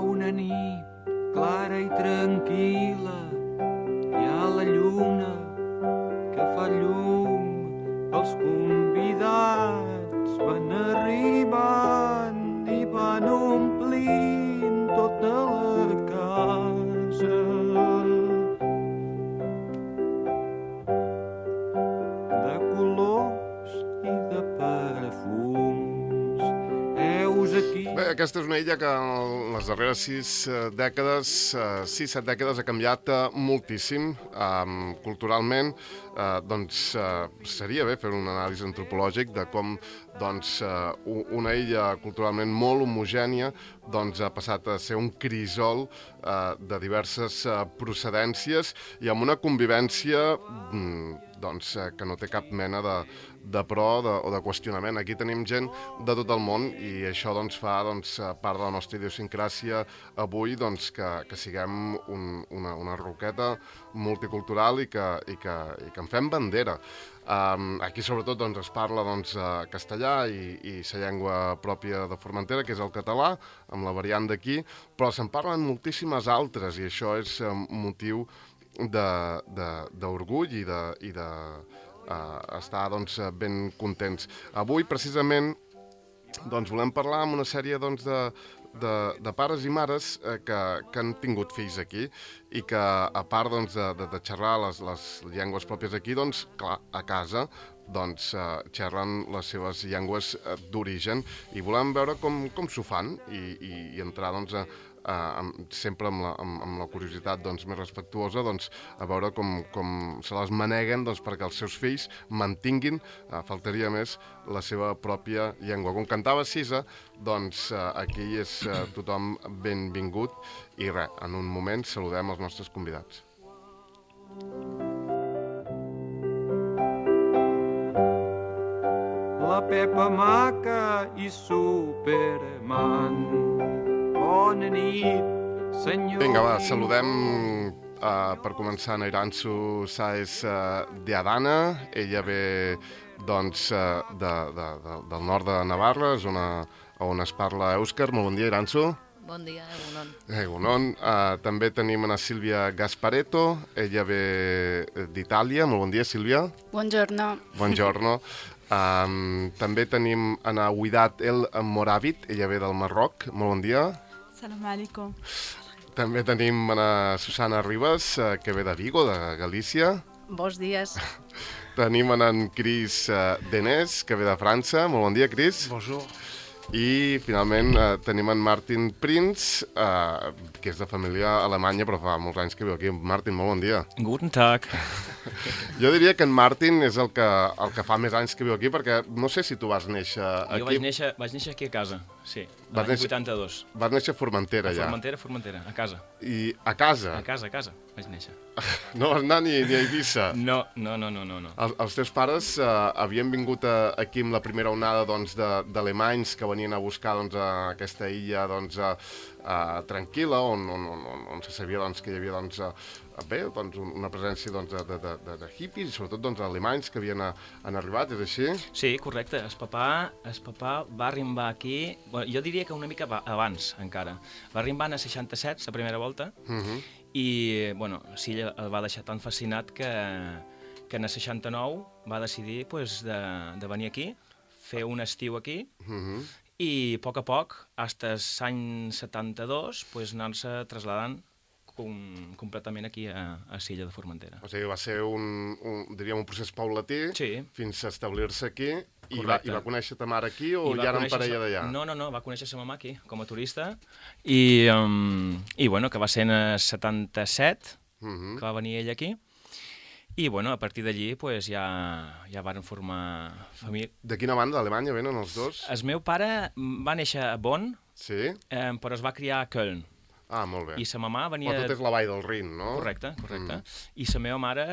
una nit clara i tranquil·la, hi ha la lluna que fa llum, els convidats van arribant i van omplint tota la casa. De colors i de perfums, heus aquí... Bé, aquesta és una illa que en les darreres 6-7 dècades ha canviat moltíssim culturalment. Doncs seria bé fer un anàlisi antropològic de com una illa culturalment molt homogènia ha passat a ser un crisol de diverses procedències i amb una convivència que no té cap mena de pro o de qüestionament. Aquí tenim gent de tot el món i això fa part de la nostra idiosincràsia avui que siguem una roqueta multicultural i que en fem bandera. Aquí sobretot es parla castellà i la llengua pròpia de Formentera, que és el català, amb la variant d'aquí, però se'n parlen moltíssimes altres i això és motiu d'orgull i de estar ben contents. Avui, precisament, volem parlar amb una sèrie de pares i mares que han tingut fills aquí i que, a part de xerrar les llengües pròpies aquí, clar, a casa xerren les seves llengües d'origen i volem veure com s'ho fan i entrar sempre amb la curiositat més respectuosa a veure com se les maneguen perquè els seus fills mantinguin, faltaria més, la seva pròpia llengua. Com cantava Sisa, aquí és tothom benvingut i res, en un moment saludem els nostres convidats. La Pepa Maca i Superman. Bona nit, senyor. Vinga, va, saludem per començar a Iranzu Sáez de Adana. Ella ve del nord de Navarra, zona on es parla èuscar. Molt bon dia, Iranzu. Bon dia, Egunon. Egunon. També tenim a Sílvia Gasparetto. Ella ve d'Itàlia. Molt bon dia, Sílvia. Buongiorno. Buongiorno. També tenim a Ouidat El Moravit. Ella ve del Marroc. Molt bon dia. Salam alaikum. També tenim a Susana Ribas, que ve de Vigo, de Galícia. Bons dies. Tenim en Cris Denès, que ve de França. Molt bon dia, Cris. Bonjour. I, finalment, tenim en Martin Prinz, que és de família alemanya, però fa molts anys que viu aquí. Martin, molt bon dia. Guten Tag. Jo diria que en Martin és el que fa més anys que viu aquí, perquè no sé si tu vas néixer aquí. Jo vaig néixer aquí a casa, sí, l'any 82. Vas néixer a Formentera, ja. Formentera, a casa. I a casa? A casa, vaig néixer. No vas anar ni a Eivissa? No. Els teus pares havien vingut aquí amb la primera onada d'alemanys que venien a buscar aquesta illa tranquil·la, on se sabia que hi havia una presència de hippies i sobretot alemanys que havien arribat, és així? Sí, correcte. El papà va arribar aquí, jo diria que una mica abans encara. Va arribar en el 67, la primera volta, i sí, el va deixar tan fascinat que en el 69 va decidir de venir aquí, fer un estiu aquí, i a poc, fins l'any 72, anar-se traslladant completament aquí a l'illa de Formentera. O sigui, va ser un procés paulatí fins a establir-se aquí i va conèixer ta mare aquí o ja eren parella d'allà? No, va conèixer sa mamà aquí com a turista i que va ser en el 77 que va venir ella aquí i a partir d'allí ja varen formar família. De quina banda d'Alemanya venen els dos? El meu pare va néixer a Bonn, però es va criar a Köln. Ah, molt bé. I sa mamà venia... Però tot és la vall del Rin, no? Correcte. I sa meva mare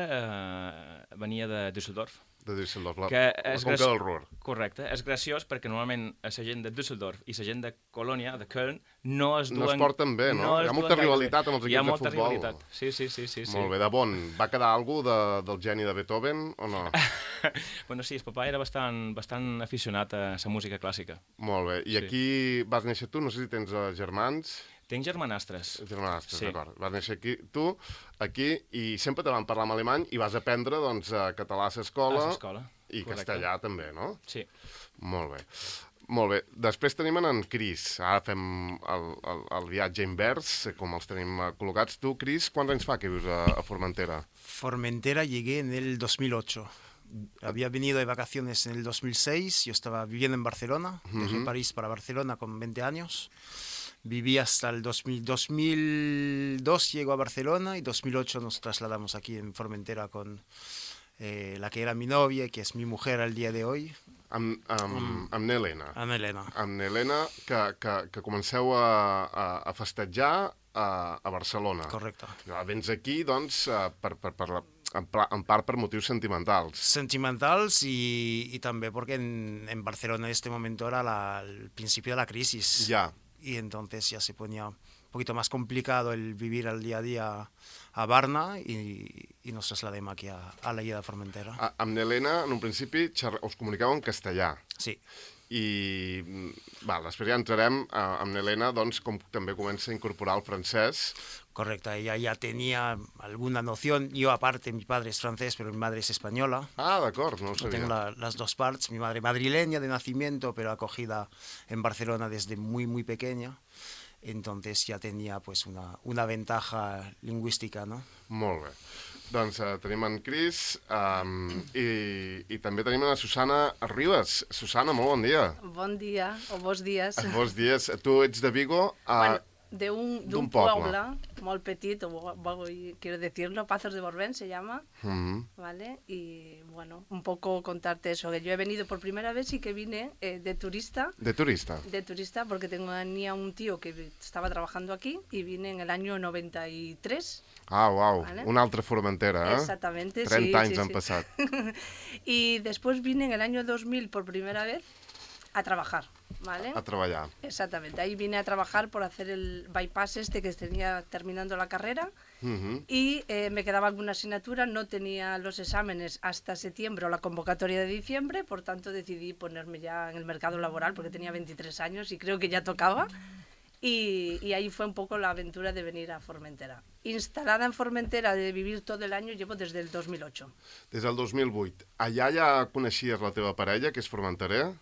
venia de Düsseldorf. De Düsseldorf, la conca del Ruhr. Correcte. És graciós perquè normalment la gent de Düsseldorf i la gent de Colònia, de Köln, no es duen... No es porten bé, no? Hi ha molta rivalitat amb els equips de futbol. Hi ha molta rivalitat, sí. Molt bé, de Bonn. Va quedar alguna del geni de Beethoven o no? Sí, el papà era bastant aficionat a la música clàssica. Molt bé. I aquí vas néixer tu? No sé si tens germans... Tinc germanastres. Germanastres, Sí. d'acord. Vas néixer aquí, i sempre te van parlar en alemany i vas aprendre, doncs, català a l'escola. A l'escola, I correcte. castellà també, no? Sí. Molt bé. Molt bé. Després tenim en Cris. Ara fem el viatge invers, com els tenim col·locats. Tu, Cris, quants anys fa que vius a Formentera? Formentera llegué en el 2008. Había venido de vacaciones en el 2006, yo estaba viviendo en Barcelona, dejé París para Barcelona con 20 años. Viví hasta el 2002, llego a Barcelona y 2008 nos trasladamos aquí en Formentera con la que era mi novia y que es mi mujer al día de hoy, Amb Helena. Ana Elena. Amb Helena, que comenceu a festejar a Barcelona. Correcto. Vens aquí, doncs, en part per motius sentimentals. Sentimentals y también porque en Barcelona en este momento era el principio de la crisis. Ja. Y entonces ya se ponía un poquito más complicado el vivir al día a día a Barna y nos trasladem aquí a la illa de Formentera. Amb Helena, en un principi, us comunicàveu en castellà. Sí, I després ja entrarem amb Helena, doncs, com també comença a incorporar el francès. correcto. Ella ya tenía alguna noción. Yo aparte, mi padre es francés, pero mi madre es española. Ah, d'acord, no ho Yo sabia. tengo las dos partes. Mi madre madrileña de nacimiento, pero acogida en Barcelona desde muy, muy pequeña. Entonces ya tenía pues una ventaja lingüística, ¿no? Molt bé. Doncs tenim en Cris i també tenim en la Susana Ribas. Susana, molt bon dia. Bon dia, o bons dies. Bons dies. Tu ets de Vigo. Bueno, d'un d'un poble. poble molt petit, quiero decirlo, Pazos de Borbén se llama, Mhm. ¿vale? Y bueno, un poco contarte eso, que yo he venido por primera vez y que vine de turista, De turista. porque tenía un tío que estaba trabajando aquí y vine en el año 93. Ah, uau, Vale. una altra Formentera, eh? Exactamente, 30 anys sí, han sí. passat. Y después vine en el año 2000 por primera vez a trabajar, ¿vale? A treballar. Exactamente, ahí vine a trabajar por hacer el bypass este que tenía terminando la carrera Mhm. y me quedaba alguna asignatura, no tenía los exámenes hasta septiembre o la convocatoria de diciembre, por tanto decidí ponerme ya en el mercado laboral porque tenía 23 años y creo que ya tocaba. Y ahí fue un poco la aventura de venir a Formentera. Instalada en Formentera, de vivir todo el año, llevo desde el 2008. Des del 2008. Allà ja coneixies la teva parella, que és formenterà?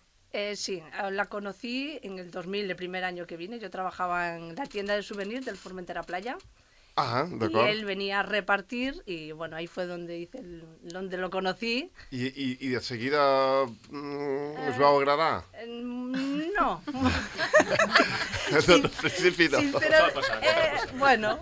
Sí, la conocí en el 2000, el primer año que vine. Yo trabajaba en la tienda de souvenirs del Formentera Playa. Ah, Y d'acord. él venía a repartir y bueno, ahí fue donde donde lo conocí. I de seguida us vau agradar? No. Del principi no. Bueno,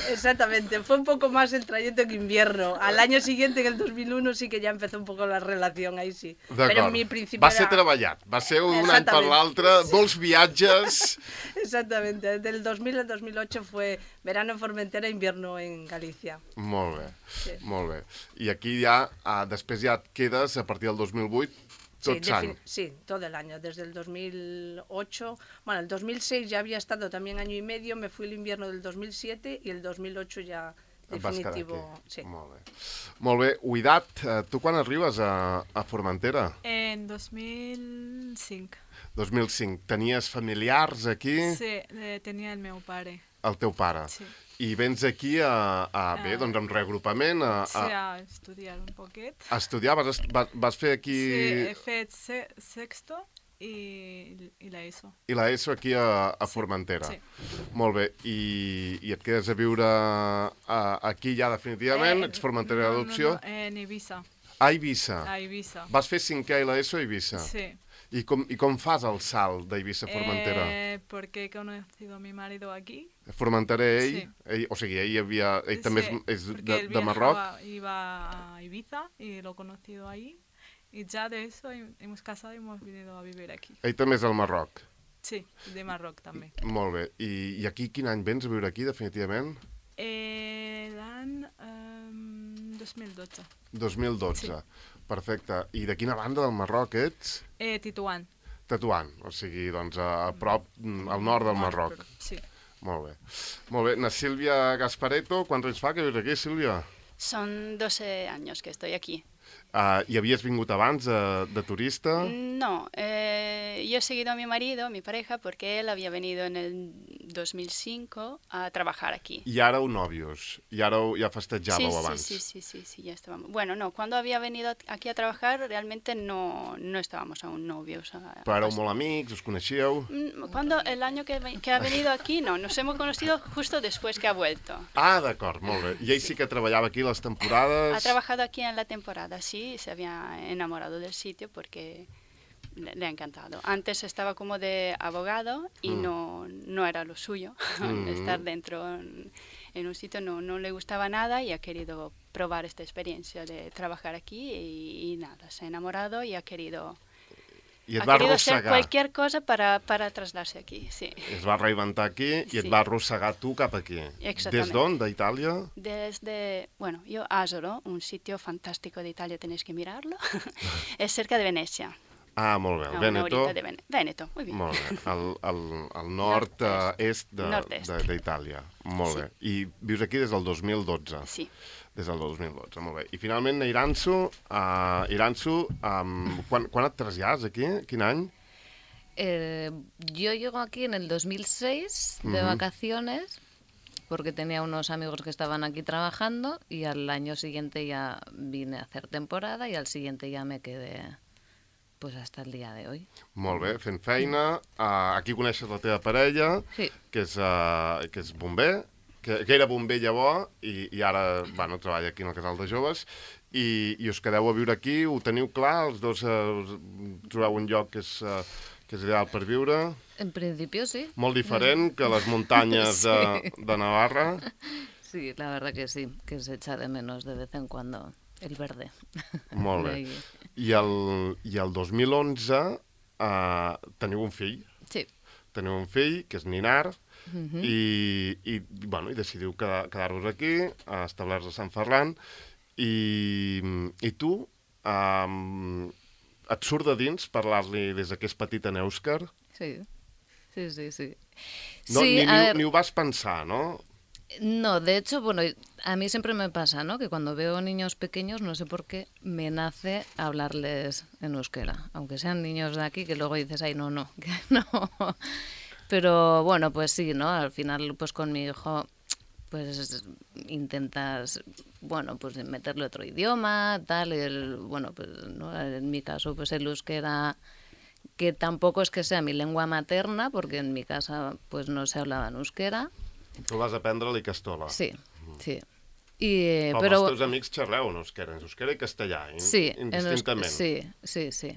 exactamente. Fue un poco más el trayecto que invierno. Al año siguiente, en el 2001, sí que ya empezó un poco la relación, ahí sí. Pero mi principio Va ser treballat, va ser un any per l'altre, molts viatges. Exactamente, del 2000 al 2008 fue verano en Formentera, invierno en Galicia. Molt bé, Sí. molt bé. I aquí ja, després ja et quedes, a partir del 2008, tots anys. Sí, todo el año, desde el 2008. Bueno, el 2006 ya había estado también año y medio, me fui el invierno del 2007 y el 2008 ya Et vas quedar definitivo. aquí. Sí. Molt bé. Molt bé. Uidat, tu quan arribes a Formentera? En 2005. 2005. Tenies familiars aquí? Sí, tenia el meu pare. El teu pare. Sí. I vens aquí bé, doncs amb reagrupament, Sí, a estudiar un poquet. a estudiar. Vas fer aquí Sí, he fet sexto i l'ESO. i l'ESO aquí a Formentera. Sí. Molt bé. I et quedes a viure aquí ja definitivament? Ets Formentera d'adopció? No, en Ibiza. A Eivissa. A Ibiza. Vas fer 5è i l'ESO a Eivissa? Sí. I com fas el salt d'Eivissa a Formentera? Porque he conocido a mi marido aquí. Formentera ell? Sí. O sigui, ell també Sí, és porque él de Marroc? iba a Ibiza y lo he conocido ahí. Y ya de eso hemos casado y hemos venido a vivir aquí. Ell també és del Marroc. Sí, de Marroc també. Molt bé. I aquí quin any vens a viure aquí, definitivament? L'any 2012. 2012. Sí. Perfecte. I de quina banda del Marroc ets? Tituán. Tetuán, o sigui, doncs a prop, al nord del Marroc. Sí. Molt bé. Molt bé. Na Sílvia Gaspareto, quants anys fa que vius aquí, Sílvia? Son 12 años que estoy aquí. I havies vingut abans de turista? No, yo he seguido a mi marido, mi pareja, porque él había venido en el 2005 a trabajar aquí. I ara heu nòvios, i ara ja festejàveu abans. Sí, ya estábamos. Bueno, no, cuando había venido aquí a trabajar realmente no estábamos aún novios. Però éreu molt amics, us coneixíeu? Cuando el año que ha venido aquí, no, nos hemos conocido justo después que ha vuelto. Ah, d'acord, molt bé. I ell sí que treballava aquí les temporades? Ha trabajado aquí en la temporada, sí, se había enamorado del sitio porque le ha encantado. Antes estaba como de abogado y no era lo suyo. Estar dentro en un sitio no le gustaba nada y ha querido probar esta experiencia de trabajar aquí y nada, se ha enamorado y ha querido... I et ha va querido hacer arrossegar. cualquier cosa para trasladarse aquí, sí. Es va reinventar aquí i et Sí. va arrossegar tu cap aquí. Exactamente. Des d'on? D'Itàlia? Desde, bueno, yo Asolo, un sitio fantástico de Italia, tenéis que mirarlo. Es cerca de Venecia. Ah, molt bé. El A una Vèneto. horita de Veneto, muy bien. Molt bé. Al nord-est Nord-est. d'Itàlia. Molt bé. I vius aquí des del 2012. Sí. Des del 2012, molt bé. I finalment a Iranzu, quan et trasllades aquí? Quin any? Yo llego aquí en el 2006 de vacaciones porque tenía unos amigos que estaban aquí trabajando y al año siguiente ya vine a hacer temporada y al siguiente ya me quedé pues hasta el día de hoy. Molt bé, fent feina. Aquí coneixes la teva parella, Sí. que és bomber, que era bomber llavors i ara treballa aquí en el casal de joves i us quedeu a viure aquí, ho teniu clar? Els dos trobeu un lloc que és ideal per viure? En principio sí. Molt diferent que les muntanyes de Navarra? Sí, la verdad que sí, que se echa de menos de vez en cuando el verde. Molt bé. De ahí. I el 2011 teniu un fill. Sí. Teniu un fill, que és Ninar, i decidiu quedar-vos aquí, establir-vos a Sant Ferran, i tu et surt de dins parlar-li des que és petit en èuscar? Sí. No, Sí, ni ho vas pensar, no? No, de hecho, bueno, a mí siempre me pasa, ¿no? Que cuando veo niños pequeños, no sé por qué, me nace hablarles en euskera. Aunque sean niños de aquí, que luego dices, ay, no, que no. Pero bueno, pues sí, ¿no? Al final, pues con mi hijo, pues intentas, bueno, pues meterle otro idioma, tal, bueno, pues, ¿no? En mi caso, pues el euskera, que tampoco es que sea mi lengua materna, porque en mi casa, pues no se hablaba en euskera. Tu vas aprendre-li castola. Sí. Però Pero els teus amics xerreu en euskera i castellà, indistintament. Sí.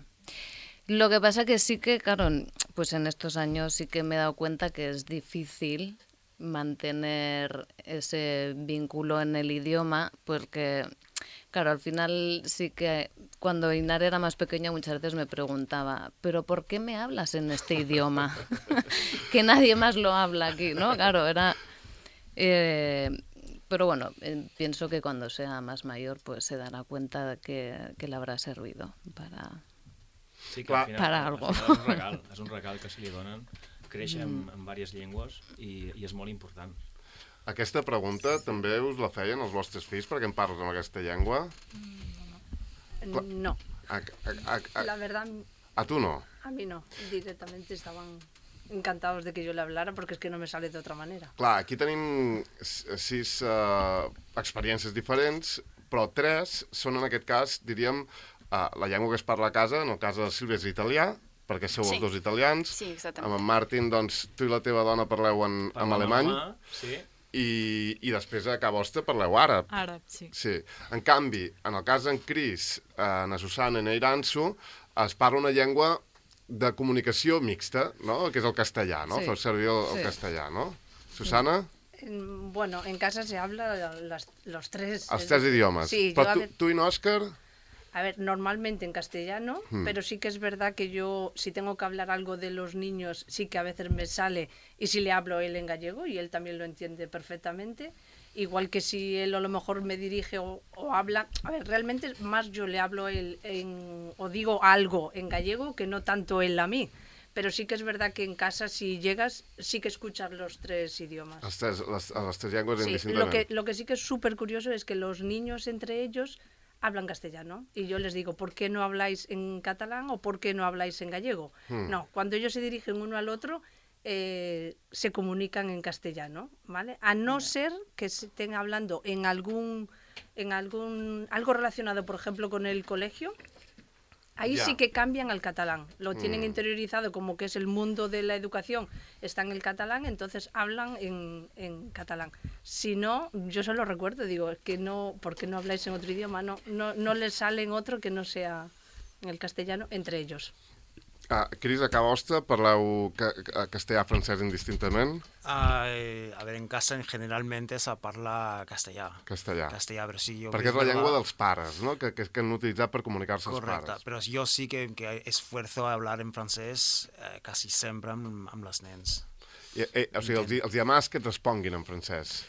Lo que pasa que sí que, claro, pues en estos años sí que me he dado cuenta que es difícil mantener ese vínculo en el idioma, porque, claro, al final sí que cuando Inar era más pequeña muchas veces me preguntaba, ¿pero por qué me hablas en este idioma? Que nadie más lo habla aquí, ¿no? Claro, era... pero bueno, pienso que cuando sea más mayor pues se dará cuenta que le habrá servido para... Sí, que al final, para algo. Al final és un regal que se li donen, créixer en diverses llengües i és molt important. Aquesta pregunta també us la feien els vostres fills perquè en parles amb aquesta llengua? No. La verdad, A tu no? a mí no. Directamente estaban encantados de que yo le hablara porque es que no me sale de otra manera. Clar, aquí tenim 6 experiències diferents, però 3 són en aquest cas, diríem, la llengua que es parla a casa, en el cas de la Sílvia és italià, perquè sou els dos italians. Sí, exactament. Amb en Martin, doncs, tu i la teva dona parleu en alemany. Sí. I després a casa vostra parleu àrab. Àrab, sí. Sí. En canvi, en el cas d'en Cris, na Susana i na Iranzu, es parla una llengua de comunicació mixta, no? Que és el castellà, no? Sí. Feu servir el castellà, no? Susana? Bueno, en casa se habla los tres. Els 3 idiomes. Sí, Però yo tu i n'Òscar? a ver, normalmente en castellano, pero sí que es verdad que yo, si tengo que hablar algo de los niños, sí que a veces me sale, y si le hablo él en gallego, y él también lo entiende perfectamente, igual que si él a lo mejor me dirige o habla, a ver, realmente más yo le hablo él o digo algo en gallego que no tanto él a mí. Pero sí que es verdad que en casa, si llegas, sí que escuchas los 3 idiomas. Les 3 llengües Sí, indistintament. lo que sí que es súper curioso es que los niños entre ellos hablan castellano. Y yo les digo, ¿por qué no habláis en catalán o por qué no habláis en gallego? No, cuando ellos se dirigen uno al otro, se comunican en castellano, ¿vale? A no ser que estén hablando en algo relacionado, por ejemplo, con el colegio. Ahí Ya. sí que cambian al catalán. Lo tienen interiorizado como que es el mundo de la educación, está en el catalán, entonces hablan en catalán. Si no, yo solo recuerdo, digo, es que no, ¿por qué no habláis en otro idioma? No les sale en otro que no sea en el castellano entre ellos. Cris, a casa vostra parleu castellà-francès indistintament? A ver, en casa generalmente se parla castellà. Castellà. Castellà, però sí, jo... Perquè és la llengua dels pares, no? Que han utilitzat per comunicar-se els Correcte, pares. però jo sí que esfuerzo a hablar en francès quasi sempre amb les nens. O sigui, els llamars que et responguin en francès.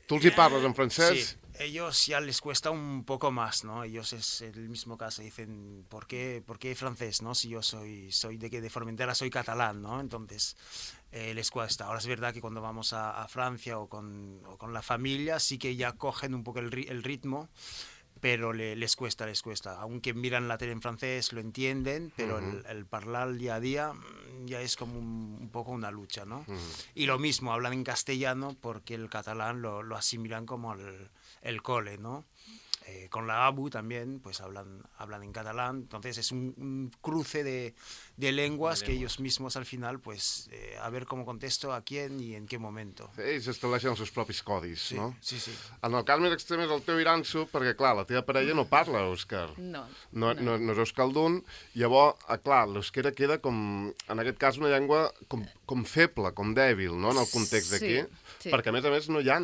Tu els hi parles en francès? Sí, ellos ya les cuesta un poco más, ¿no? Ellos es el mismo caso, dicen, ¿por qué francés, no? Si yo soy de Formentera, soy catalán, ¿no? Entonces, les cuesta. Ahora es verdad que cuando vamos a Francia o con la familia, sí que ya cogen un poco el ritmo, pero les cuesta. Aunque miran la tele en francés, lo entienden, pero el hablar día a día ya es como un poco una lucha, ¿no? Y lo mismo, hablan en castellano porque el catalán lo asimilan como el cole, ¿no? Con la ABU también, pues hablan en catalán, entonces es un cruce de lenguas que ellos mismos al final, pues a ver cómo contesto a quién y en qué momento. Ells estableixen els seus propis codis, Sí, no? sí. En el cas més extrem és el teu iranso, perquè, clar, la teva parella no parla èuscar. No. No és euskaldun, llavors, clar, l'euskera queda com, en aquest cas, una llengua com feble, com dèbil, no?, en el context d'aquí. Sí. Perquè, a més, no hi ha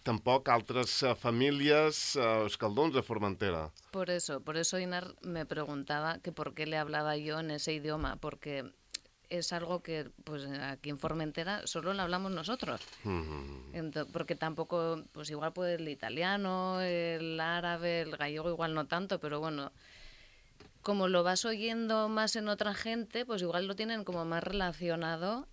tampoc altres famílies euskalduns a Formentera. Por eso Inar me preguntaba que por qué le hablaba yo en ese idioma, porque es algo que pues aquí en Formentera solo lo hablamos nosotros. Porque tampoco, pues igual puede el italiano, el árabe, el gallego igual no tanto, pero bueno, como lo vas oyendo más en otra gente, pues igual lo tienen como más relacionado,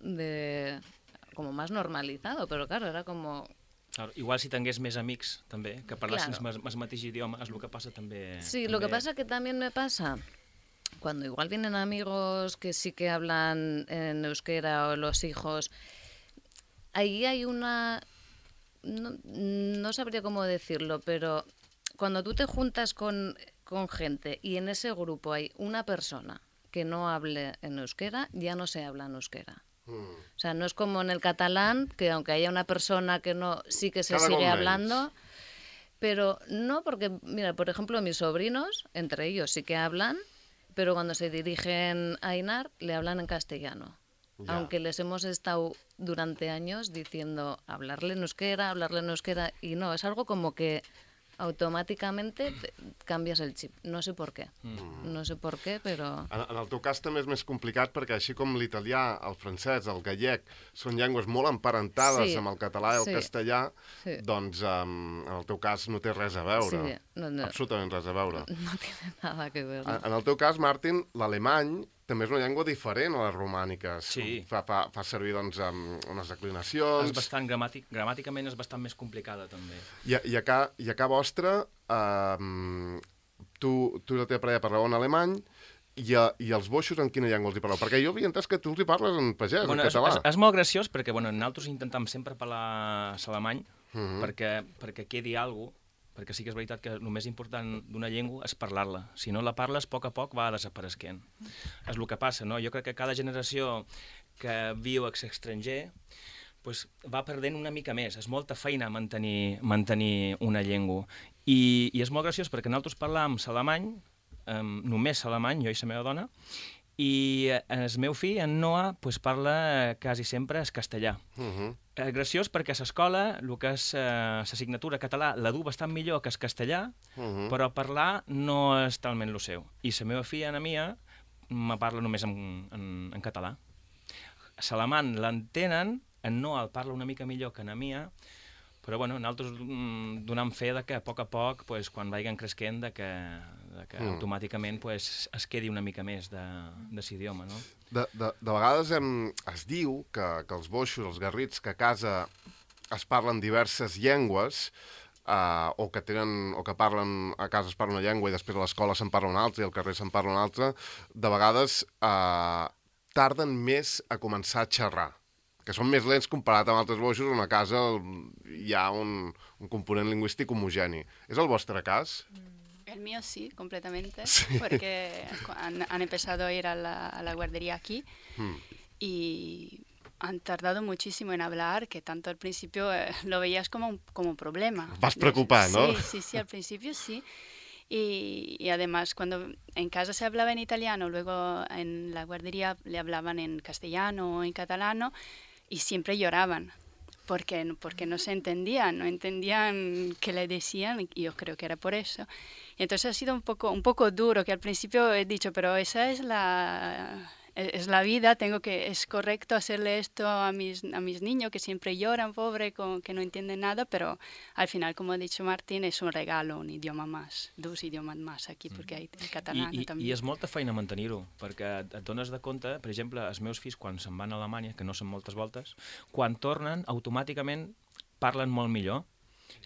como más normalizado, pero claro, era como... Claro, igual si tingués més amics, també, que parlessin Claro. el mateix idioma, és el que passa també... Sí, lo que pasa que también me pasa, cuando igual vienen amigos que sí que hablan en euskera o los hijos, ahí hay una... No sabría cómo decirlo, pero cuando tú te juntas con gente y en ese grupo hay una persona que no hable en euskera, ya no se habla en euskera. O sea, no es como en el catalán, que aunque haya una persona que no, sí que se Cada sigue cop menys. hablando, pero no porque, mira, por ejemplo, mis sobrinos, entre ellos sí que hablan, pero cuando se dirigen a Inar, le hablan en castellano. Ya. Aunque les hemos estado durante años diciendo hablarle en euskera, y no, es algo como que automáticamente canvies el xip. No sé per què. No sé per què, però... En el teu cas també és més complicat perquè així com l'italià, el francès, el gallec són llengües molt emparentades Sí, amb el català i el sí, castellà, sí. doncs en el teu cas no té res a veure. Sí, no. Absolutament res a veure. No tiene nada que ver. En el teu cas, Martin, l'alemany també és una llengua diferent a les romàniques. Sí. Fa servir, doncs, unes declinacions... És bastant gramàticament és bastant més complicada, també. I a ca vostra, tu i la teva parella parleu en alemany, i els boixos en quina llengua els hi parleu? Perquè jo havia entès que tu els hi parles en pagès, en català. És molt graciós perquè nosaltres intentem sempre parlar alemany perquè quedi alguna cosa, perquè sí que és veritat que el més important d'una llengua és parlar-la. Si no la parles, a poc va desapareixent. És el que passa, no? Jo crec que cada generació que viu a l'estranger va perdent una mica més. És molta feina mantenir una llengua. I és molt graciós perquè nosaltres parlàvem alemany, només alemany, jo i la meva dona, i el meu fill, en Noah, parla quasi sempre el castellà. Graciós perquè a l'escola, el que és l'assignatura català, la du bastant millor que el castellà, però parlar no és talment el seu. I la meva filla, Ana Mia, me parla només en català. L'alemany l'entenen, en Noah el parla una mica millor que Ana Mia, però nosaltres donem fe que a poc, quan vagin creixent, que automàticament es quedi una mica més de l'idioma, no? De vegades es diu que els boixos, els garrits, que a casa es parlen diverses llengües, o que parlen, a casa es parla una llengua i després a l'escola se'n parla una altra i al carrer se'n parla una altra, de vegades tarden més a començar a xerrar que són més lents comparat amb altres boixos on a casa hi ha un component lingüístic homogeni. És el vostre cas? El mío sí, completamente, Sí. porque han empezado a ir a la guardería aquí y han tardado muchísimo en hablar, que tanto al principio lo veías como un problema. Vas preocupar, ¿no? Sí, al principio sí. Y además cuando en casa se hablaba en italiano, luego en la guardería le hablaban en castellano o en catalano y siempre lloraban. Porque no se entendían, no entendían qué le decían, y yo creo que era por eso. Y entonces ha sido un poco duro, que al principio he dicho, pero esa es la vida, es correcto hacerle esto a mis niños que siempre lloran, pobre, que no entienden nada, pero al final, como ha dicho Martín, es un regalo, un idioma más, dos idiomas más aquí, porque hay el catalán també. I és molta feina mantenir-ho, perquè et dones de compte, per exemple, els meus fills quan se'n van a Alemanya, que no són moltes voltes, quan tornen, automàticament parlen molt millor.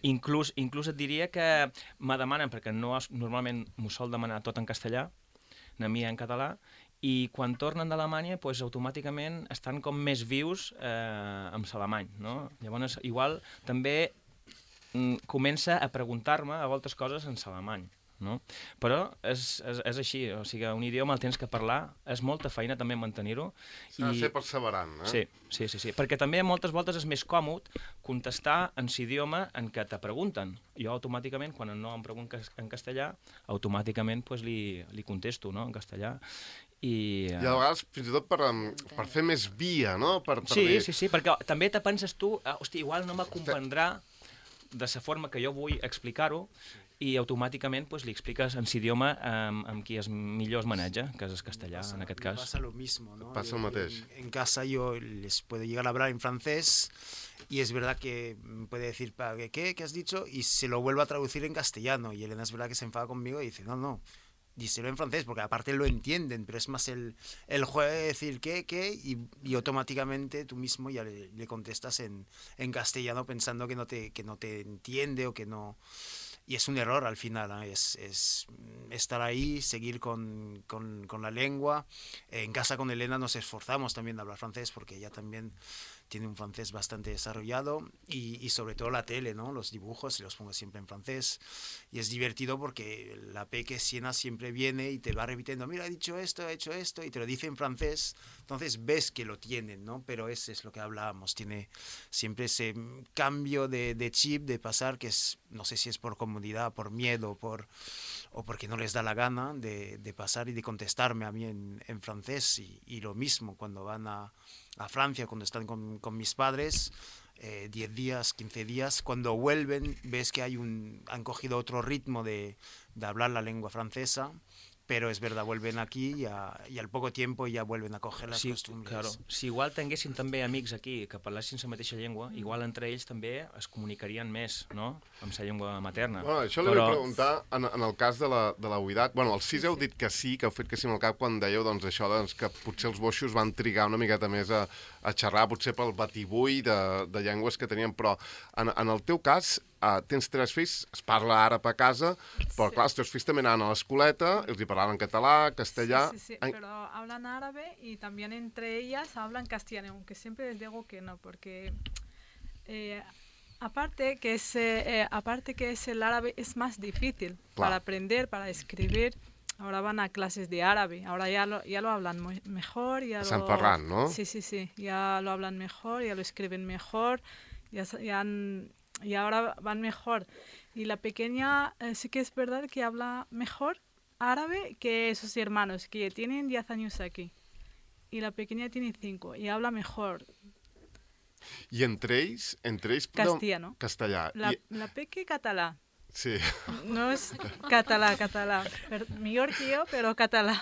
Inclús et diria que me demanen, perquè normalment m'ho sol demanar tot en castellà, a mi en català, i quan tornen d'Alemanya, doncs, automàticament estan com més vius amb l'alemany, no? Llavors, igual, també comença a preguntar-me a voltes coses en l'alemany, no? Però és així, o sigui, un idioma el tens que parlar, és molta feina també mantenir-ho. S'ha de ser perseverant, eh? Sí, perquè també moltes voltes és més còmode contestar en l'idioma en què te pregunten. Jo automàticament, quan no em pregunten en castellà, automàticament li contesto, no?, en castellà. I a vegades fins i tot per fer més via, no? Sí, perquè també te penses tu, hosti, igual no me comprendrà de la forma que jo vull explicar-ho, i automàticament li expliques en l'idioma amb qui millor es maneja, que és el castellà, en aquest cas. Pasa lo mismo, ¿no? Pasa el mateix. En casa yo les puedo llegar a hablar en francés y es verdad que puede decir, ¿qué has dicho? Y se lo vuelvo a traducir en castellano y Elena es verdad que se enfada conmigo y dice, no, díselo en francés, porque aparte lo entienden, pero es más el juego de decir qué, y automáticamente tú mismo ya le contestas en castellano pensando que no te entiende o que no... Y es un error al final, ¿eh? Es estar ahí, seguir con la lengua. En casa con Elena nos esforzamos también de hablar francés porque ella también tiene un francés bastante desarrollado y sobre todo la tele, ¿no? Los dibujos los pongo siempre en francés y es divertido porque la peque Siena siempre viene y te va repitiendo, mira, he dicho esto, he hecho esto, y te lo dice en francés, entonces ves que lo tienen, ¿no? Pero ese es lo que hablábamos, tiene siempre ese cambio de chip, de pasar, que es, no sé si es por comodidad, por miedo, o porque no les da la gana de pasar y de contestarme a mí en francés, y lo mismo cuando van a Francia, cuando están con mis padres, 10 días, 15 días, cuando vuelven ves que han cogido otro ritmo de hablar la lengua francesa, però és verdad, vuelven aquí i al poco tiempo ja vuelven a coger les costumbres. Claro. Si igual tinguessin també amics aquí que parlessin la mateixa llengua, igual entre ells també es comunicarien més, no?, amb la llengua materna. Bueno, això li vull preguntar en el cas de la Uidat. Bueno, els 6 heu dit que sí, que heu fet que sí amb el cap quan dèieu doncs, això que potser els boixos van trigar una miqueta més a xerrar, potser pel batibull de llengües que tenien, però en el teu cas tens 3 fills, es parla àrab a casa, però clar, els teus fills també anaven a l'escoleta, els hi parlaven català, castellà... Sí, pero hablan árabe y también entre ellas hablan castellano, aunque siempre les digo que no, porque aparte que el árabe es más difícil para aprender, para escribir. Ahora van a clases de árabe, ahora ya lo hablan mejor. San Ferran, ¿no? Sí, ya lo hablan mejor, ya lo escriben mejor, y ahora van mejor. Y la pequeña sí que es verdad que habla mejor árabe que sus hermanos, que tienen 10 años aquí. Y la pequeña tiene 5 y habla mejor. I entre ells castellano. Castellà. La peque català. Sí. No és català. Millor que jo, però català.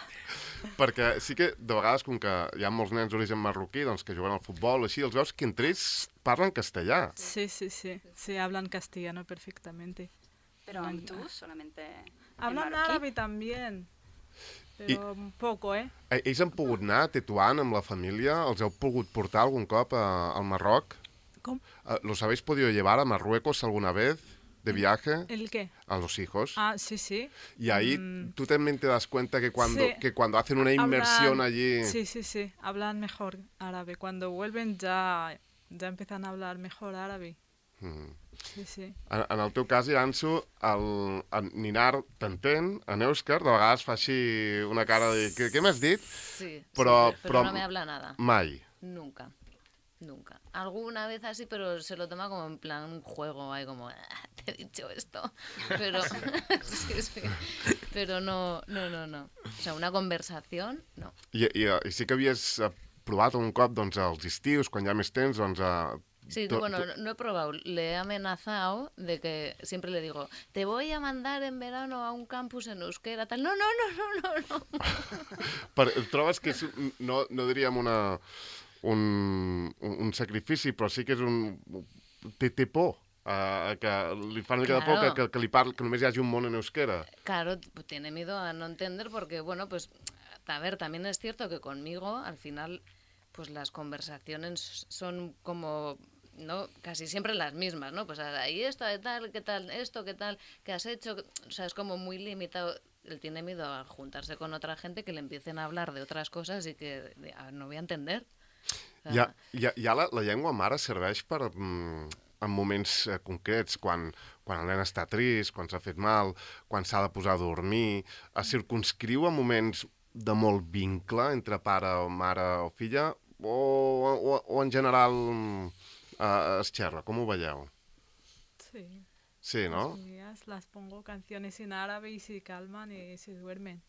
Perquè sí que de vegades, com que hi ha molts nens d'origen marroquí doncs, que juguen al futbol, així, els veus que entre ells parlen castellà. Sí, hablan castellano perfectamente. Pero tú solamente hablan árabe también, pero poco, ¿eh? Ells han pogut anar a Tetuán amb la família? Els heu pogut portar algun cop al Marroc? Com? ¿Los habéis podido llevar a Marruecos alguna vez? de viaje ¿El qué? a los hijos. Ah, sí, sí. Y ahí tú también te das cuenta que Sí. cuando hacen una inmersión allí... Sí, sí, sí. Hablan mejor árabe. Cuando vuelven ya empiezan a hablar mejor árabe. Sí, sí. En el teu cas, Iranzu, el Ninar t'entén, en Èuscar, de vegades fa així una cara de... Què m'has dit? Sí, Però no me habla nada. Mai. Nunca. Alguna vez así, pero se lo toma como en plan un juego, ahí como, te he dicho esto. Pero, sí. Pero no. O sea, una conversación, no. I sí que havies provat un cop, doncs, als estius, quan hi ha més temps, doncs... Sí, bueno, no he probado. Le he amenazado de que siempre le digo, te voy a mandar en verano a un campus en euskera, tal. No. Trobes que és, no diríem un sacrifici, però sí que és un... Té por, que li fa una mica de por que només hi hagi un món en euskera. Claro, tiene miedo a no entender porque, bueno, pues, a ver, también es cierto que conmigo, al final, pues las conversaciones son como... ¿no? Casi siempre las mismas, ¿no? Pues ahí esto, qué tal, esto, qué tal, qué has hecho, o sea, es como muy limitado. Él tiene miedo a juntarse con otra gente que le empiecen a hablar de otras cosas y que no voy a entender. O sea, ja la llengua mare serveix per, en moments concrets, quan el nen està trist, quan s'ha fet mal, quan s'ha de posar a dormir, es circumscriu a moments de molt vincle entre pare o mare o filla, o en general... es xerra, com ho veieu? Sí. Sí, ¿no? Las pongo canciones en árabe y se calman y se duermen.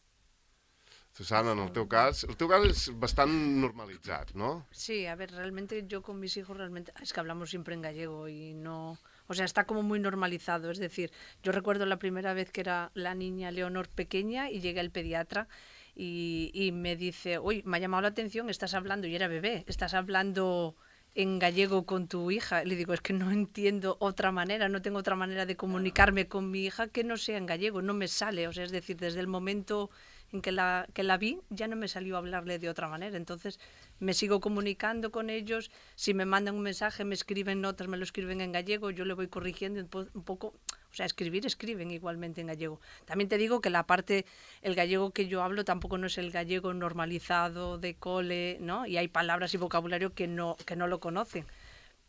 Susana, en el teu cas és bastant normalitzat, ¿no? Sí, a ver, realmente yo con mis hijos es que hablamos siempre en gallego y no... O sea, está como muy normalizado, es decir, yo recuerdo la primera vez que era la niña Leonor pequeña y llega el pediatra y me dice, uy, me ha llamado la atención, estás hablando, y era bebé, estás hablando... en gallego con tu hija. Le digo, es que no entiendo otra manera, no tengo otra manera de comunicarme con mi hija que no sea en gallego, no me sale. O sea, es decir, desde el momento en que la vi, ya no me salió a hablarle de otra manera. Entonces, me sigo comunicando con ellos. Si me mandan un mensaje, me escriben notas, me lo escriben en gallego, yo le voy corrigiendo un poco. O sea, escriben igualmente en gallego. También te digo que el gallego que yo hablo tampoco no es el gallego normalizado de cole, ¿no? Y hay palabras y vocabulario que no lo conocen.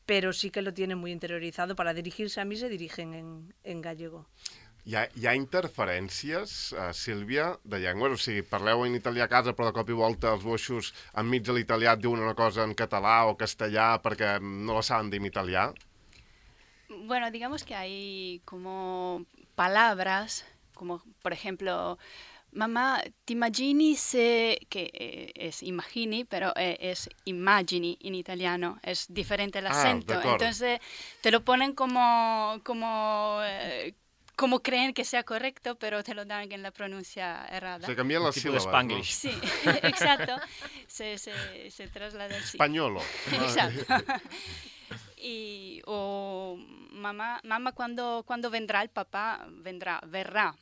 Pero sí que lo tienen muy interiorizado. Para dirigirse a mí se dirigen en gallego. Hi ha interferències, Sílvia, de llengües? O sigui, parleu en italià a casa, però de cop i volta els boixos enmig de l'italià et diuen una cosa en català o castellà perquè no la saben dir en italià? Bueno, digamos que hay como palabras, como por ejemplo, mamá, ¿te immagini que es imagini, pero es immagini en italiano, es diferente el acento, entonces te lo ponen como creen que sea correcto, pero te lo dan en la pronuncia errada. Se cambian las sílabas, ¿no? Sí, exacto, se traslada así. Españolo. Exacto. O mamá, cuando vendrá el papá, verá.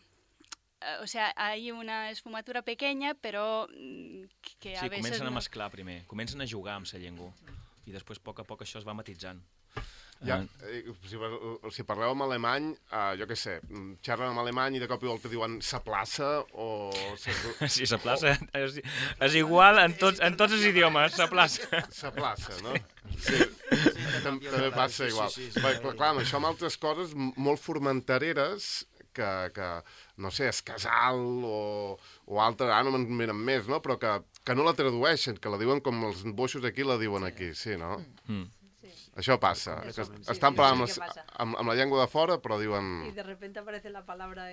O sea, hay una esfumatura pequeña, però que a veces... Sí, comencen a mesclar primer, comencen a jugar amb la llengua i després a poc això es va matitzant. Ja, si parleu en alemany, jo què sé, xerren en alemany i de cop i volta diuen sa plaça o... Sí, sa plaça és igual en tots els idiomes, sa plaça. Sa plaça, no? Sí, també passa igual. Clar, amb això amb altres coses molt formentereres que no sé, és casal o altre, ara no me'n venen més, no? Però que no la tradueixen, que la diuen com els boixos aquí la diuen aquí, sí, no? Això passa, que estan parlant amb la llengua de fora, però diuen... Y de repente aparece la palabra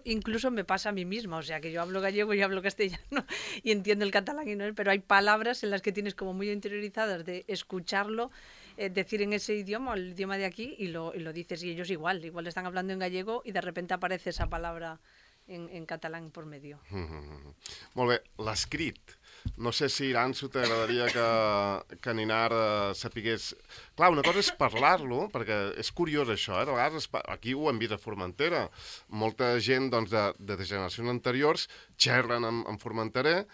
incluso me pasa a mí misma, o sea, que yo hablo gallego y hablo castellano y entiendo el catalán, pero hay palabras en las que tienes como muy interiorizadas de escucharlo, decir en ese idioma, el idioma de aquí, y lo dices, y ellos igual están hablando en gallego y de repente aparece esa palabra en catalán por medio. Molt bé, l'escrit. No sé si Iranzu t'agradaria que Ninar sapigués... Clar, una cosa és parlar-lo, perquè és curiós això, de vegades aquí ho hem vist a Formentera. Molta gent doncs, de generacions anteriors xerren en formenterè,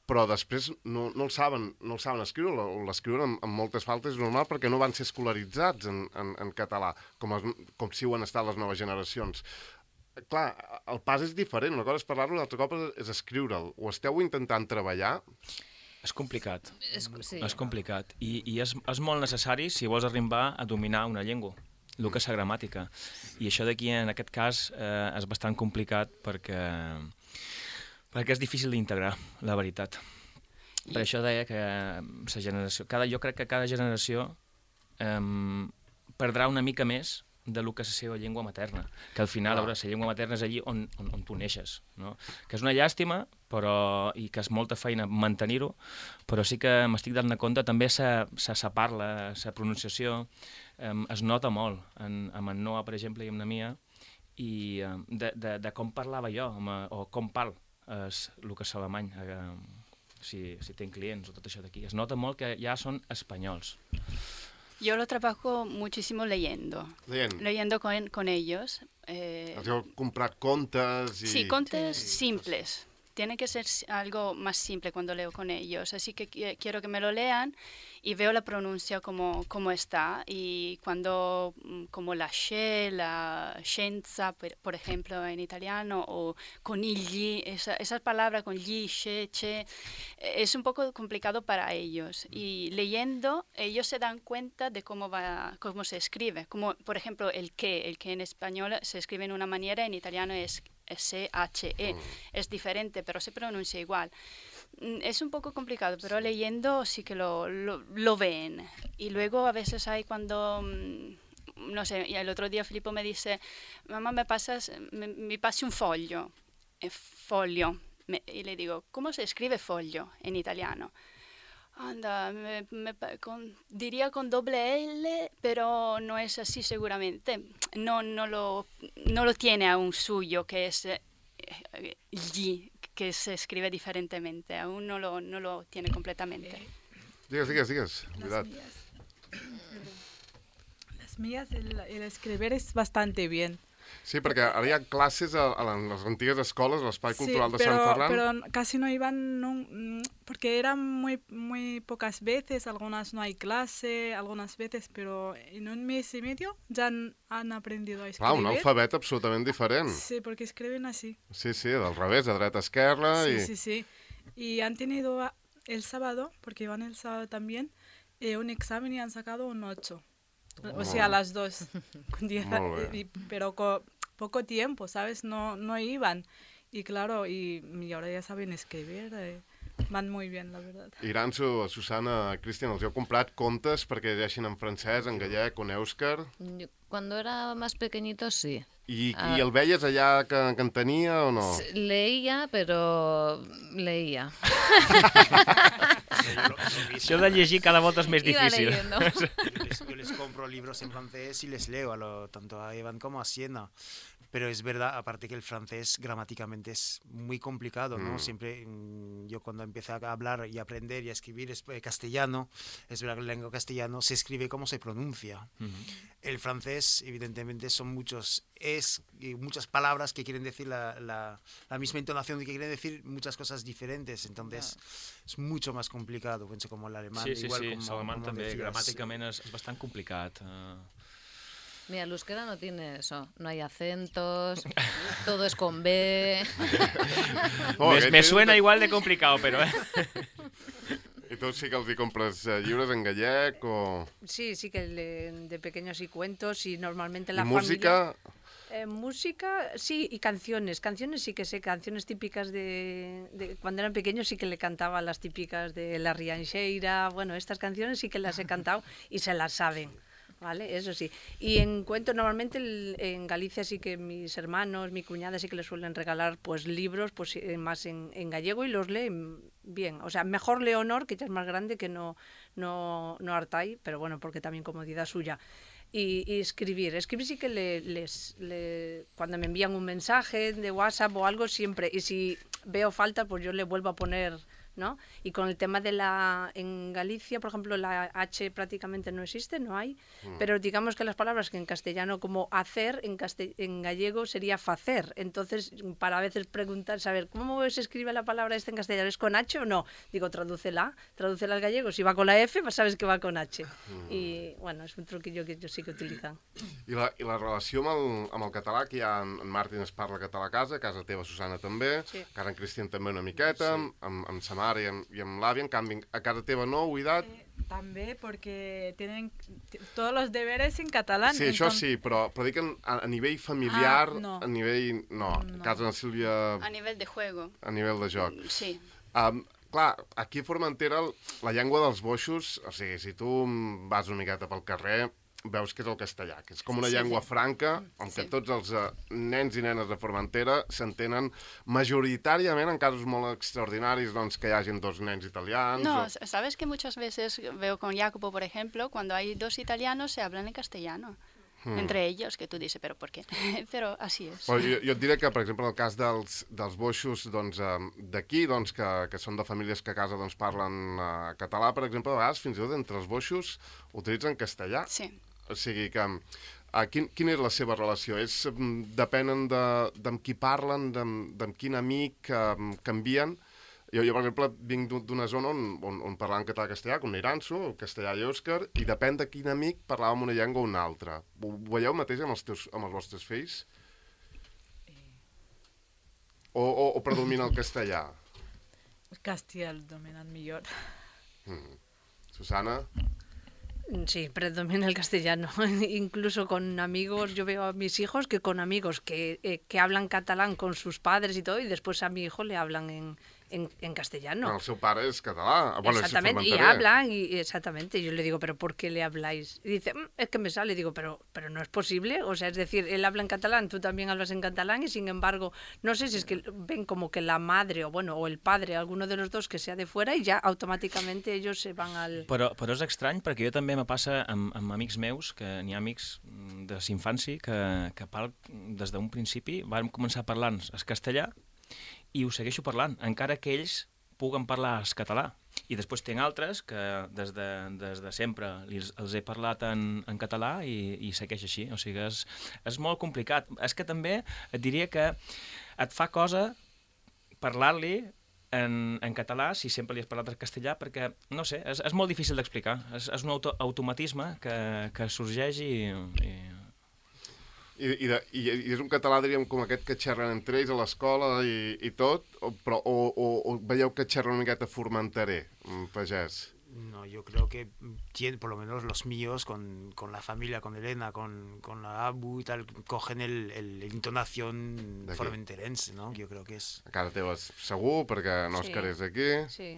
però després no el saben escriure, o l'escriuen amb moltes faltes, és normal perquè no van ser escolaritzats en català, com si ho han estat les noves generacions. Clar, el pas és diferent, una cosa és parlar-lo, l'altra cosa és escriure'l. Ho esteu intentant treballar? És complicat, Sí. és complicat. I és molt necessari si vols arribar a dominar una llengua, el que és la gramàtica. I això d'aquí, en aquest cas, és bastant complicat perquè és difícil d'integrar, la veritat. Per això deia que la generació... Jo crec que cada generació perdrà una mica més de lo que és la seva llengua materna, que al final, la llengua materna és allí on tu neixes, no? Que és una llàstima, i que és molta feina mantenir-ho, però sí que m'estic donant compte, també sa parla, sa pronunciació, es nota molt, amb en Noah, per exemple, i amb la Mia, i de com parlava jo, o com parlo, el que és alemany, si tinc clients o tot això d'aquí. Es nota molt que ja són espanyols. Yo lo trabajo muchísimo leyendo. Leyendo con ellos. Has comprat contes y... Sí, contes simples. Tiene que ser algo más simple cuando leo con ellos. Así que quiero que me lo lean y veo la pronuncia como está. Y cuando, como la she, la scienza, por ejemplo, en italiano, o conigli, esa palabra con gli, she, che, es un poco complicado para ellos. Y leyendo, ellos se dan cuenta de cómo se escribe. Como, por ejemplo, el que en español se escribe en una manera, en italiano es S-H-E. Es diferente, pero se pronuncia igual. Es un poco complicado, pero leyendo sí que lo ven. Y luego a veces hay cuando, no sé, y el otro día Filippo me dice, mamá, me pase un foglio. Foglio. Y le digo, ¿cómo se escribe foglio en italiano? Anda, diría con doble L, pero no es así seguramente. No lo tiene aún suyo, que es G, que se escribe diferentemente. Aún no lo tiene completamente. Digues. Las mías, el escribir es bastante bien. Sí, perquè ara hi ha classes a les antigues escoles, a l'Espai Cultural de Sant Ferran. Pero casi no iban, porque eran muy pocas veces, algunas no hay clase, algunas veces, pero en un mes y medio ya han aprendido a escribir. Un alfabet absolutament diferent. Sí, porque escriben así. Sí, del revés, de dreta a esquerra. Sí. Y han tenido el sábado, porque iban el sábado también, un examen y han sacado un 8. O sea, las dos. Pero con poco tiempo, ¿sabes? No iban. Y claro, y ahora ya saben escribir. Van muy bien, la verdad. Iranzo, Susana, Cristian, els heu comprat contes perquè llegeixin en francès, en gallec o en èuscar? Cuando era más pequeñito, sí. I el veies allà que en tenia o no? Leía, pero leía. Això de llegir cada volta és més difícil. Yo les compro libros en francés y les leo, tanto a Evan como a Siena. Pero es verdad, aparte que el francés gramáticamente es muy complicado, ¿no? Siempre, yo cuando empecé a hablar y aprender y a escribir castellano, es verdad que la lengua castellano se escribe como se pronuncia. El francés, evidentemente, son muchas palabras que quieren decir la misma entonación y que quieren decir muchas cosas diferentes, entonces es mucho más complicado, pienso, como el alemán. Sí, l'alemán també, gramàticament és bastant complicat. Mira, el euskera no tiene eso, no hay acentos, todo es con B. Me suena igual de complicado, pero... ¿Y tú sí que els compres llibres en gallec o...? Sí, que de pequeños y cuentos y normalmente la ¿Y música? Familia... música, sí, y canciones. Canciones sí que sé, canciones típicas de cuando eran pequeños sí que le cantaba las típicas de la Rianxeira. Bueno, estas canciones sí que las he cantado y se las saben. ¿Vale? Eso sí. Y en cuento, normalmente en Galicia sí que mis hermanos, mi cuñada sí que les suelen regalar pues libros pues más en gallego y los leen bien. O sea, mejor Leonor, que ya es más grande, que no Artay, pero bueno, porque también comodidad suya. Y escribir sí que cuando me envían un mensaje de WhatsApp o algo siempre, y si veo falta pues yo le vuelvo a poner ¿no? Y con el tema de en Galicia, por ejemplo, la H prácticamente no existe, no hay, pero digamos que las palabras que en castellano como hacer, en gallego sería facer. Entonces, para a veces preguntar, saber, ¿cómo se escribe la palabra esta en castellano? ¿Es con H o no? Digo, tradúcela al gallego. Si va con la F, pues sabes que va con H. Y, bueno, és un truquillo que jo sí que utilitzen. I la relació amb el català, que ja en Martín es parla català a casa teva, Susana, també, que ara en Cristian també una miqueta, amb sa mare i amb l'àvia, en canvi, a casa teva no, Huidat? També, perquè tenen tots els deberes en català. Sí, això sí, però dic a nivell familiar, no. a nivell... No, a casa de Sílvia... A nivell de juego. A nivell de joc. Sí. Clar, aquí a Formentera la llengua dels boixos, o sigui, si tu vas una miqueta pel carrer, veus que és el castellà, que és com una llengua franca, on que tots els nens i nenes de Formentera s'entenen majoritàriament, en casos molt extraordinaris, doncs que hi hagin dos nens italians... No, sabes que muchas veces veo con Jacopo, por ejemplo, cuando hay dos italianos se hablan en castellano. Entre ellos, que tu dices, però per què? Però així és. Però jo et diré que, per exemple, en el cas dels boixos d'aquí, que són de famílies que a casa parlen català, per exemple, a vegades fins i tot entre els boixos utilitzen castellà. Sí. O sigui que... Quina és la seva relació? Depenen d'amb qui parlen, d'amb quin amic canvien? Jo, per exemple, vinc d'una zona on parlaven català-castellà, com Iranso, castellà i òscar, i depèn de quin amic parlàvem una llengua o una altra. Ho veieu mateix amb els vostres fills? O predomina el castellà? El castellà el dominan millor. Susana? Sí, predomina el castellano. Incluso con amigos, yo veo a mis hijos que con amigos que hablan catalán con sus padres y todo, y después a mi hijo le hablan en castellano. El seu pare és català. Bueno, exactamente, y hablan, exactamente. Yo le digo, ¿pero por qué le habláis? Y dice, es que me sale. Digo, pero no es posible. O sea, es decir, él habla en catalán, tú también hablas en catalán, y sin embargo, no sé si es que ven como que la madre o el padre, alguno de los dos que sea de fuera, y ya automáticamente ellos se van al... Però és estrany, perquè jo també me passa amb amics meus, que n'hi ha amics de l'infància que des d'un principi vam començar parlant el castellà, i ho segueixo parlant, encara que ells puguen parlar el català. I després tinc altres que des de sempre els he parlat en català i segueix així. O sigui, és molt complicat. És que també et diria que et fa cosa parlar-li en català si sempre li has parlat en castellà, perquè, no sé, és molt difícil d'explicar. És un automatisme que sorgeix I és un català, diríem, com aquest que xerren entre ells a l'escola i tot, o veieu que xerren una miqueta formenteré, pagès? No, yo creo que tiene, por lo menos los míos, con la familia, con Elena, con la Abu y tal, cogen el intonación formenterense, ¿no? Yo creo que es... A casa teva segur, perquè Òscar és d'aquí. Sí,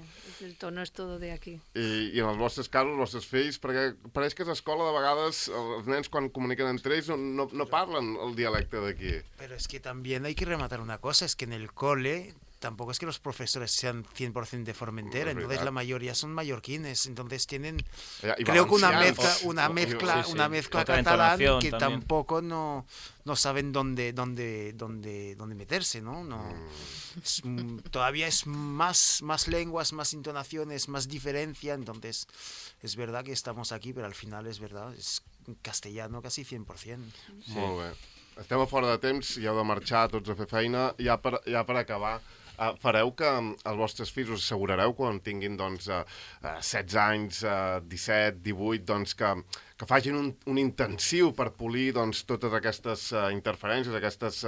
el tono és tot d'aquí. I en els vostres casos, els vostres fills, perquè pareix que a l'escola de vegades els nens quan comuniquen entre ells no parlen el dialecte d'aquí. Pero es que también hay que rematar una cosa, es que en el cole... Tampoco es que los profesores sean 100% de Formentera, entonces la mayoría son mallorquines, entonces tienen, creo que una mezcla catalán que también. Tampoco no saben dónde meterse, ¿no? Todavía es más lenguas, más intonaciones, más diferencia, entonces es verdad que estamos aquí, pero al final es verdad, es castellano casi 100%. Sí. Molt bé. Estem a fora de temps, ja heu de marxar tots a fer feina, ja per acabar. Fareu que els vostres fills, us assegurareu quan tinguin 16 anys, 17, 18, que facin un intensiu per polir totes aquestes interferències, aquestes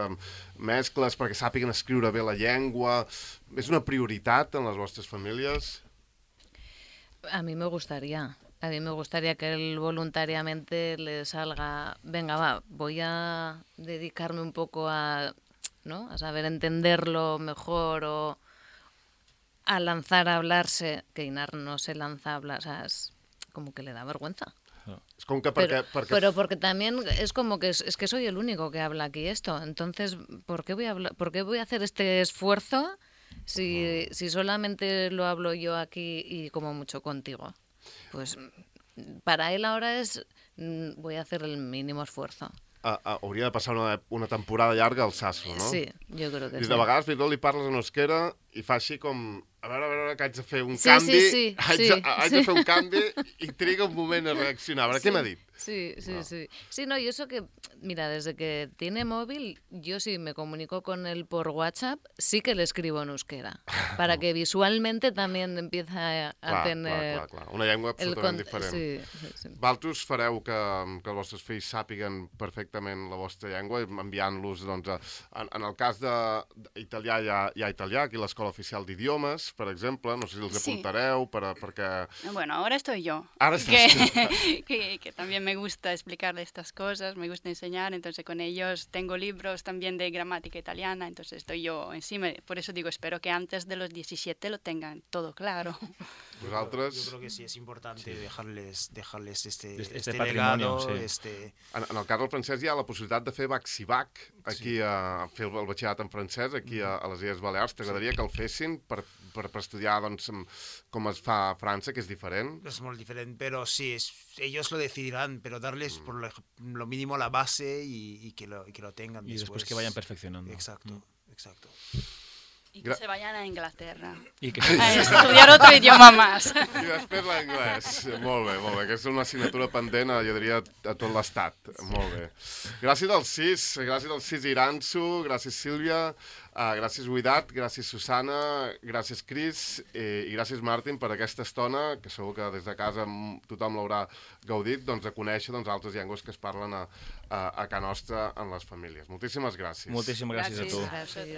mescles, perquè sàpiguen escriure bé la llengua. És una prioritat en les vostres famílies? A mí me gustaría. A mí me gustaría que él voluntariamente le salga, venga, va, voy a dedicarme un poco a saber entenderlo mejor o a lanzar a hablarse, que Inar no se lanza a hablar, o sea, es como que le da vergüenza. Es como que pero porque también es como que es que soy el único que habla aquí esto, entonces ¿por qué voy a hacer este esfuerzo si solamente lo hablo yo aquí y como mucho contigo? Pues para él ahora voy a hacer el mínimo esfuerzo. Hauria de passar una temporada llarga al Sasso, no? Sí, jo crec que sí. De vegades fins i tot li parles en euskera i fa així com a veure, que haig de fer un Sí, canvi, sí, haig de fer un canvi i triga un moment a reaccionar. A veure, què m'ha dit? Sí. Sí, no, y eso que, mira, desde que tiene móvil, yo sí me comunico con él por WhatsApp, sí que le escribo en euskera, para que visualmente también empiece a tener... Clar. Una llengua absolutament diferent. Sí. Valtros fareu que els vostres fills sàpiguen perfectament la vostra llengua, enviant-los, doncs, en el cas d'italià hi ha italià, aquí a l'Escola Oficial d'Idiomes, per exemple, no sé si els apuntareu, perquè... Bueno, ahora estoy yo. Ahora estás que también me gusta explicarle estas cosas, me gusta enseñar, entonces con ellos tengo libros también de gramática italiana, entonces estoy yo encima. Por eso digo, espero que antes de los 17 lo tengan todo claro. Vosaltres... Yo creo que sí es importante dejarles Este legado, patrimonio, sí. En el cas del francès hi ha la possibilitat de fer bac-si-bac, aquí a fer el batxillerat en francès, aquí a les Illes Balears. T'agradaria que el fessin per estudiar, doncs, com es fa a França, que és diferent? Es muy diferente, pero sí, ellos lo decidirán, pero darles por lo mínimo la base y que lo tengan Y después que vayan perfeccionando. Exacto. Y que se vayan a Inglaterra I que... a estudiar otro idioma más. I després l'anglès. Molt bé. Aquesta és una assignatura pendent, jo diria, a tot l'estat. Molt bé. Gràcies dels 6 Iranzu, gràcies Sílvia, gràcies Huidat, gràcies Susana, gràcies Cris i gràcies Martin per aquesta estona, que segur que des de casa tothom l'haurà gaudit, doncs, de conèixer altres llengües que es parlen a casa nostra en les famílies. Moltíssimes gràcies. Moltíssimes gràcies a tu. Gràcies.